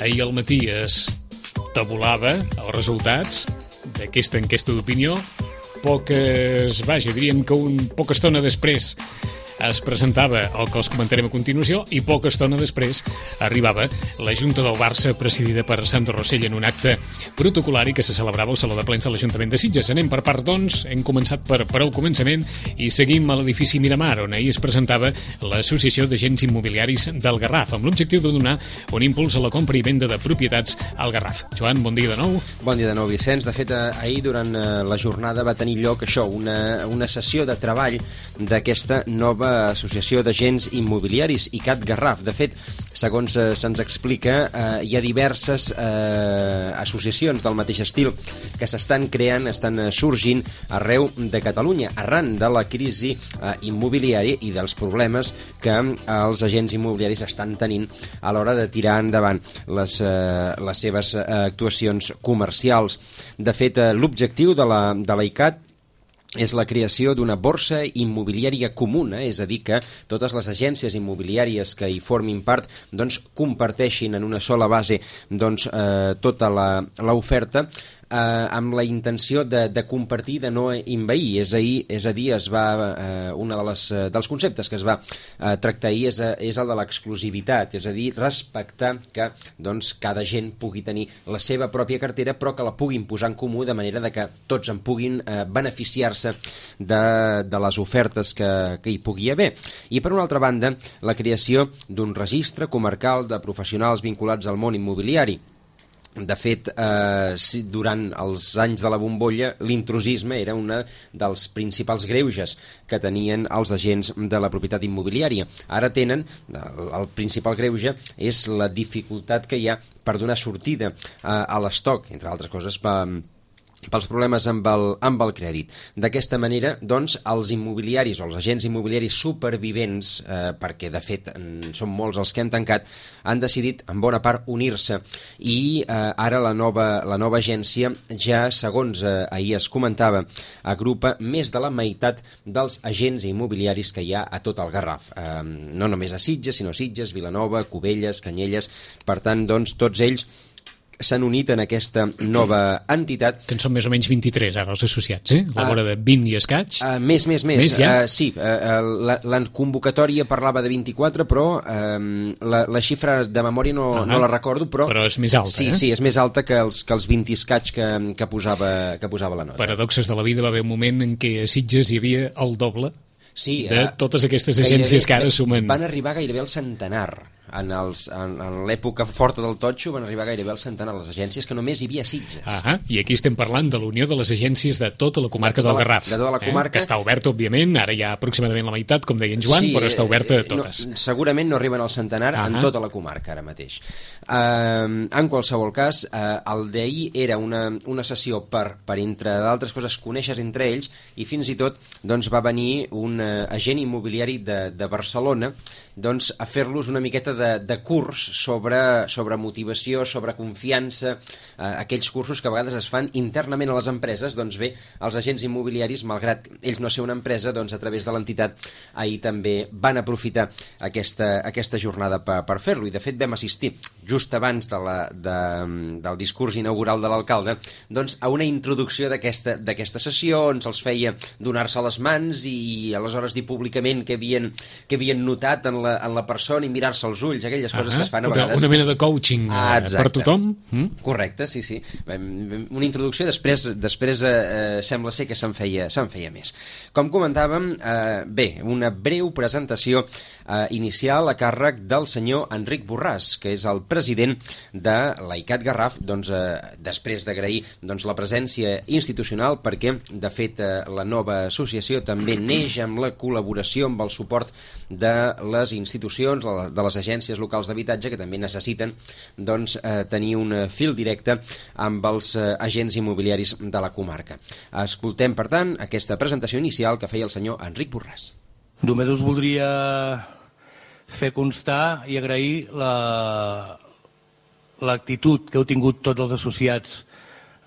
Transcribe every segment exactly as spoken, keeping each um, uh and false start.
Ahir al matí es tabulava els resultats d'aquesta enquesta d'opinió. Poques, vaja, diríem que un poca estona després es presentava el que els comentarem a continuació i poca estona després arribava la Junta del Barça presidida per Sandro Rosell en un acte protocolari que se celebrava al Saló de Plens de l'Ajuntament de Sitges. Anem per part, doncs, hem començat per, per el començament i seguim a l'edifici Miramar, on ahir es presentava l'Associació d'Agents Immobiliaris del Garraf, amb l'objectiu de donar un impuls a la compra i venda de propietats al Garraf. Joan, bon dia de nou. Bon dia de nou, Vicenç. De fet, ahir durant la jornada va tenir lloc això, una, una sessió de treball d'aquesta nova Associació d'Agents Immobiliaris, I C A T Garraf. De fet, segons eh, se'ns explica, eh, hi ha diverses eh, associacions del mateix estil que s'estan creant, estan eh, sorgint arreu de Catalunya, arran de la crisi eh, immobiliària i dels problemes que eh, els agents immobiliaris estan tenint a l'hora de tirar endavant les, eh, les seves eh, actuacions comercials. De fet, eh, l'objectiu de la, de la I C A T és la creació d'una borsa immobiliària comuna, és a dir, que totes les agències immobiliàries que hi formin part doncs, comparteixin en una sola base doncs, eh, tota l'oferta eh, amb la intenció de, de compartir, de no envair. És, ahir, és a dir, es va, eh, una de les, dels conceptes que es va eh, tractar ahir és, és el de l'exclusivitat, és a dir, respectar que doncs, cada gent pugui tenir la seva pròpia cartera, però que la puguin posar en comú de manera de que tots en puguin eh, beneficiar-se de, de les ofertes que, que hi pugui haver. I per una altra banda, la creació d'un registre comarcal de professionals vinculats al món immobiliari. De fet, eh, durant els anys de la bombolla, l'intrusisme era un dels principals greuges que tenien els agents de la propietat immobiliària. Ara tenen, el principal greuge és la dificultat que hi ha per donar sortida eh, a l'estoc, entre altres coses, per pels problemes amb el, amb el crèdit. D'aquesta manera, doncs, els immobiliaris o els agents immobiliaris supervivents, eh, perquè de fet són molts els que han tancat, han decidit en bona part unir-se i eh, ara la nova, la nova agència ja, segons eh, ahir es comentava, agrupa més de la meitat dels agents immobiliaris que hi ha a tot el Garraf. Eh, no només a Sitges, sinó a Sitges, Vilanova, Cubelles, Canyelles. Per tant, doncs, tots ells s'han unit en aquesta nova entitat. Que en són més o menys vint-i-tres ara els associats, eh? A la vora de vint i escaig. Uh, més, més, més. Més ja? Uh, sí, uh, la, la convocatòria parlava de vint-i-quatre, però uh, la, la xifra de memòria no, uh -huh. no la recordo, però... Però és més alta, sí, eh? Sí, és més alta que els, que els vint i escaig que, que, posava, que posava la nota. Paradoxes de la vida, va haver un moment en què a Sitges hi havia el doble sí, de uh, totes aquestes agències que ara sumen. Van arribar gairebé al centenar. En, els, en, en l'època forta del totxo van arribar gairebé al centenar les agències, que només hi havia Sitges. Ah, i aquí estem parlant de la unió de les agències de tota la comarca de tota del Garraf. De tota la comarca. Eh? Que està oberta, òbviament, ara hi ha aproximadament la meitat, com deia en Joan, sí, però està oberta a totes. No, segurament no arriben al centenar ah en tota la comarca ara mateix. Uh, en qualsevol cas, uh, el d'ahir era una, una sessió per, per entre d'altres coses, conèixer entre ells, i fins i tot doncs, va venir un uh, agent immobiliari de, de Barcelona doncs, a fer-los una miqueta de, de curs sobre, sobre motivació, sobre confiança, eh, aquells cursos que a vegades es fan internament a les empreses. Doncs bé, els agents immobiliaris, malgrat ells no ser una empresa, doncs a través de l'entitat ahir també van aprofitar aquesta, aquesta jornada per, per fer-lo, i de fet vam assistir just abans de la, de, del discurs inaugural de l'alcalde doncs, a una introducció d'aquesta d'aquesta sessió on se'ls feia donar-se les mans i aleshores dir públicament que havien, que havien notat en la, en la persona i mirar-se als ulls, aquelles coses uh -huh. que es fan a vegades. Una mena de coaching ah, per tothom. Mm? Correcte, sí, sí. Una introducció, després, després eh, sembla ser que se'n feia, se'n feia més. Com comentàvem, eh, bé, una breu presentació eh, inicial a càrrec del senyor Enric Borràs, que és el president de la I C A T Garraf, doncs, eh, després d'agrair doncs, la presència institucional, perquè, de fet, eh, la nova associació també neix amb la col·laboració, amb el suport de les institucions, de les agències locals d'habitatge, que també necessiten doncs, eh, tenir un fil directe amb els eh, agents immobiliaris de la comarca. Escoltem, per tant, aquesta presentació inicial que feia el senyor Enric Borràs. Només us voldria fer constar i agrair la, l'actitud que heu tingut tots els associats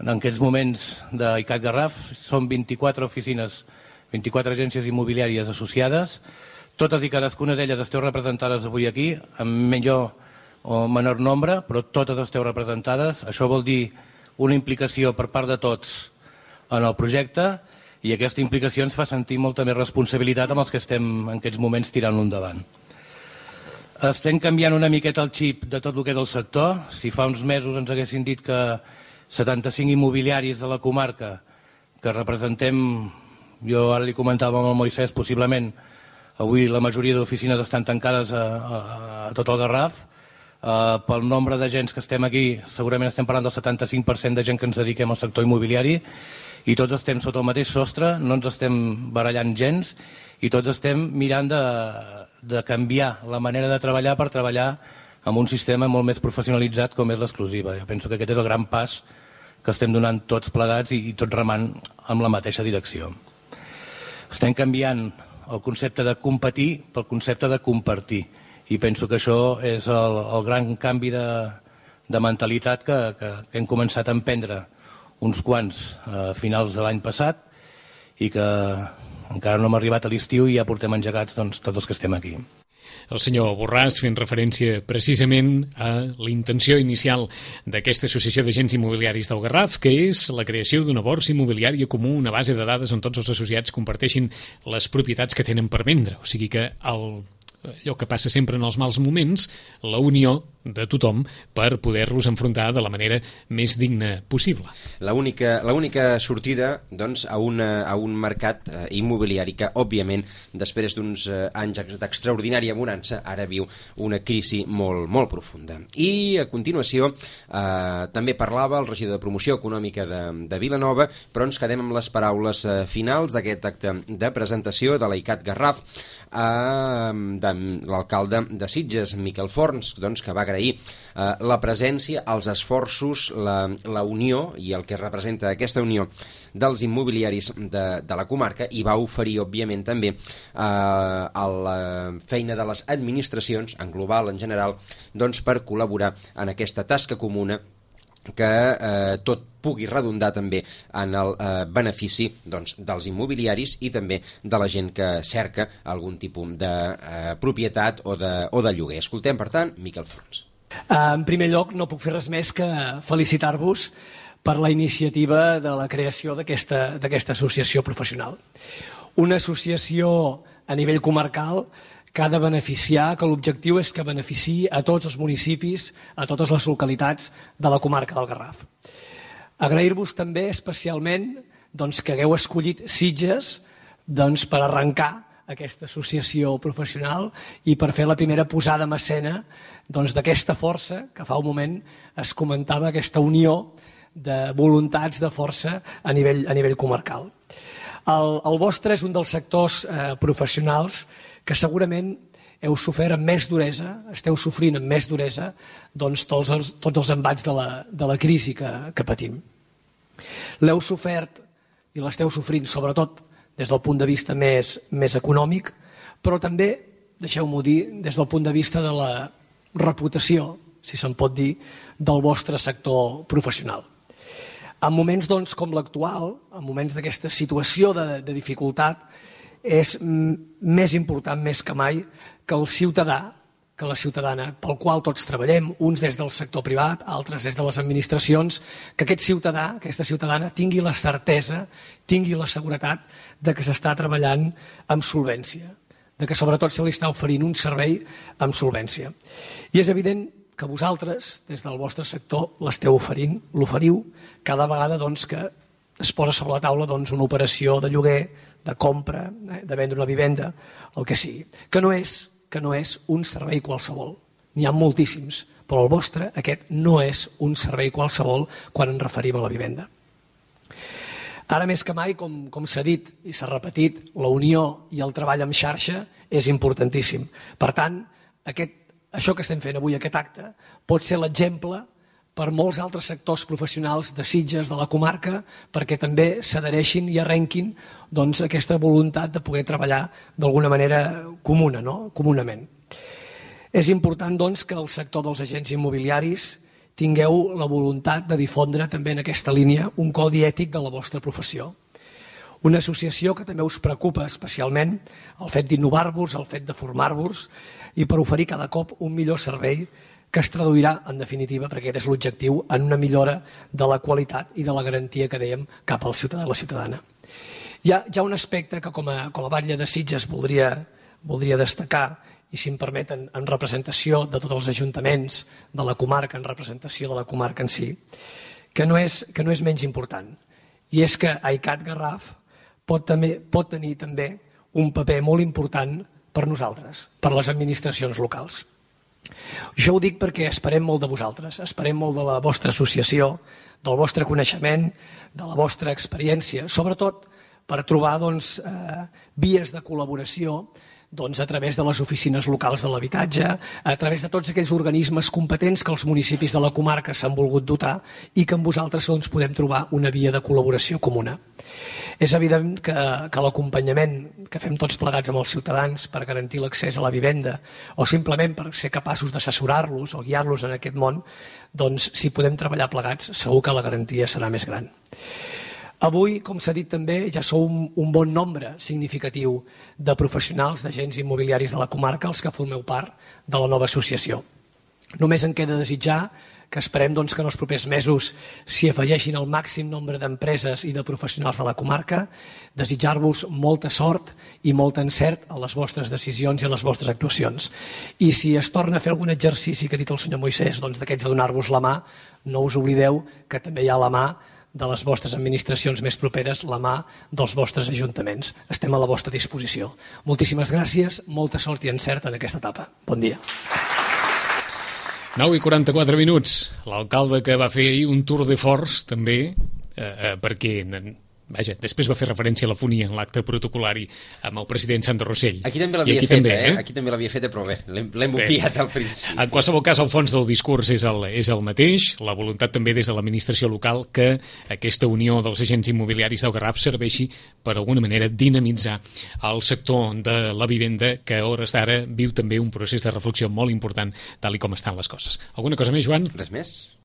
en aquests moments de I C A T Garraf. Són vint-i-quatre oficines, vint-i-quatre agències immobiliàries associades. Totes i cadascuna d'elles esteu representades avui aquí, amb millor o menor nombre, però totes esteu representades. Això vol dir una implicació per part de tots en el projecte i aquesta implicació ens fa sentir molta més responsabilitat amb els que estem en aquests moments tirant-lo endavant. Estem canviant una miqueta el xip de tot el que és el sector. Si fa uns mesos ens haguessin dit que setanta-cinc immobiliaris de la comarca que representem, jo ara li comentava amb el Moisès, possiblement avui la majoria d'oficines estan tancades a, a, a tot el Garraf. Uh, pel nombre de gens que estem aquí, segurament estem parlant del setanta-cinc per cent de gent que ens dediquem al sector immobiliari i tots estem sota el mateix sostre, no ens estem barallant gens i tots estem mirant de, de canviar la manera de treballar per treballar amb un sistema molt més professionalitzat com és l'exclusiva. Jo penso que aquest és el gran pas que estem donant tots plegats i, i tots remant amb la mateixa direcció. Estem canviant el concepte de competir pel concepte de compartir i penso que això és el, el gran canvi de, de mentalitat que, que, que hem començat a emprendre uns quants a finals de l'any passat i que encara no hem arribat a l'estiu i ja portem engegats doncs, tots els que estem aquí. El senyor Borràs fent referència precisament a la intenció inicial d'aquesta associació d'agents immobiliaris del Garraf, que és la creació d'una borsa immobiliària comú, una base de dades on tots els associats comparteixin les propietats que tenen per vendre. O sigui que el, allò que passa sempre en els mals moments, la unió de tothom per poder-los enfrontar de la manera més digna possible. L'única l'única sortida doncs, a, una, a un mercat eh, immobiliari que, òbviament, després d'uns eh, anys d'extraordinària bonança, ara viu una crisi molt, molt profunda. I, a continuació, eh, també parlava el regidor de Promoció Econòmica de, de Vilanova, però ens quedem amb les paraules eh, finals d'aquest acte de presentació de l'ICAT Garraf eh, de l'alcalde de Sitges, Miquel Forns, doncs, que va agrair eh, la presència, els esforços, la, la unió i el que representa aquesta unió dels immobiliaris de, de la comarca i va oferir, òbviament, també eh, a la feina de les administracions, en global, en general, doncs, per col·laborar en aquesta tasca comuna que eh, tot pugui redundar també en el eh, benefici doncs, dels immobiliaris i també de la gent que cerca algun tipus de eh, propietat o de, o de lloguer. Escoltem, per tant, Miquel Forns. En primer lloc, no puc fer res més que felicitar-vos per la iniciativa de la creació d'aquesta d'aquesta associació professional. Una associació a nivell comarcal que ha de beneficiar, que l'objectiu és que beneficiï a tots els municipis, a totes les localitats de la comarca del Garraf. Agrair-vos també especialment doncs, que hagueu escollit Sitges doncs, per arrencar aquesta associació professional i per fer la primera posada en escena doncs, d'aquesta força que fa un moment es comentava, aquesta unió de voluntats de força a nivell, a nivell comarcal. El, el vostre és un dels sectors eh, professionals que segurament heu sofert amb més duresa, esteu sofrint amb més duresa doncs, tots, els, tots els embats de la, de la crisi que, que patim. L'heu sofert i l'esteu sofrint sobretot des del punt de vista més, més econòmic, però també, deixeu-m'ho dir, des del punt de vista de la reputació, si se'n pot dir, del vostre sector professional. En moments doncs, com l'actual, en moments d'aquesta situació de, de dificultat, és més important més que mai que el ciutadà, que la ciutadana, pel qual tots treballem, uns des del sector privat, altres des de les administracions, que aquest ciutadà, aquesta ciutadana, tingui la certesa, tingui la seguretat de que s'està treballant amb solvència, de que sobretot se li està oferint un servei amb solvència. I és evident que vosaltres, des del vostre sector, l'esteu oferint, l'oferiu, cada vegada doncs, que es posa sobre la taula doncs, una operació de lloguer, de compra, eh, de vendre una vivenda, el que sigui, que no és, que no és un servei qualsevol. N'hi ha moltíssims, però el vostre, aquest, no és un servei qualsevol quan ens referim a la vivenda. Ara més que mai, com, com s'ha dit i s'ha repetit, la unió i el treball en xarxa és importantíssim. Per tant, aquest, això que estem fent avui, aquest acte, pot ser l'exemple per molts altres sectors professionals de Sitges, de la comarca, perquè també s'adhereixin i arrenquin doncs, aquesta voluntat de poder treballar d'alguna manera comuna, no? comunament. És important doncs, que el sector dels agents immobiliaris tingueu la voluntat de difondre també en aquesta línia un codi ètic de la vostra professió. Una associació que també us preocupa especialment el fet d'innovar-vos, el fet de formar-vos i per oferir cada cop un millor servei que es traduirà, en definitiva, perquè aquest és l'objectiu, en una millora de la qualitat i de la garantia que dèiem cap al ciutadà i la ciutadana. Hi ha, hi ha un aspecte que com a, com a batlle de Sitges voldria, voldria destacar, i si em permeten, en representació de tots els ajuntaments de la comarca, en representació de la comarca en si, que no és, que no és menys important. I és que AICAT Garraf pot, també, pot tenir també un paper molt important per nosaltres, per les administracions locals. Jo ho dic perquè esperem molt de vosaltres, esperem molt de la vostra associació, del vostre coneixement, de la vostra experiència, sobretot per trobar doncs, eh, vies de col·laboració doncs, a través de les oficines locals de l'habitatge, a través de tots aquells organismes competents que els municipis de la comarca s'han volgut dotar i que amb vosaltres doncs, podem trobar una via de col·laboració comuna. És evident que, que l'acompanyament que fem tots plegats amb els ciutadans per garantir l'accés a la vivenda o simplement per ser capaços d'assessorar-los o guiar-los en aquest món, doncs, si podem treballar plegats, segur que la garantia serà més gran. Avui, com s'ha dit també, ja sou un, un bon nombre significatiu de professionals, d'agents immobiliaris de la comarca, els que formeu part de la nova associació. Només em queda desitjar que esperem doncs, que en els propers mesos s'hi afegeixin el màxim nombre d'empreses i de professionals de la comarca, desitjar-vos molta sort i molt encert a les vostres decisions i a les vostres actuacions. I si es torna a fer algun exercici que ha dit el senyor Moisès, doncs d'aquests de donar-vos la mà, no us oblideu que també hi ha la mà de les vostres administracions més properes, la mà dels vostres ajuntaments. Estem a la vostra disposició. Moltíssimes gràcies, molta sort i encert en aquesta etapa. Bon dia. nou i quaranta-quatre minuts. L'alcalde que va fer ahir un tour de force, també, eh, eh, perquè... Vaja, després va fer referència a la fonia en l'acte protocolari amb el president Sandro Rossell. Aquí també l'havia fet, també, eh? Aquí també l'havia fet, però bé, l'hem obviat al principi. En qualsevol cas, el fons del discurs és el, és el mateix, la voluntat també des de l'administració local que aquesta unió dels agents immobiliaris del Garraf serveixi per alguna manera dinamitzar el sector de la vivenda que a hores d'ara viu també un procés de reflexió molt important tal i com estan les coses. Alguna cosa més, Joan? Res més.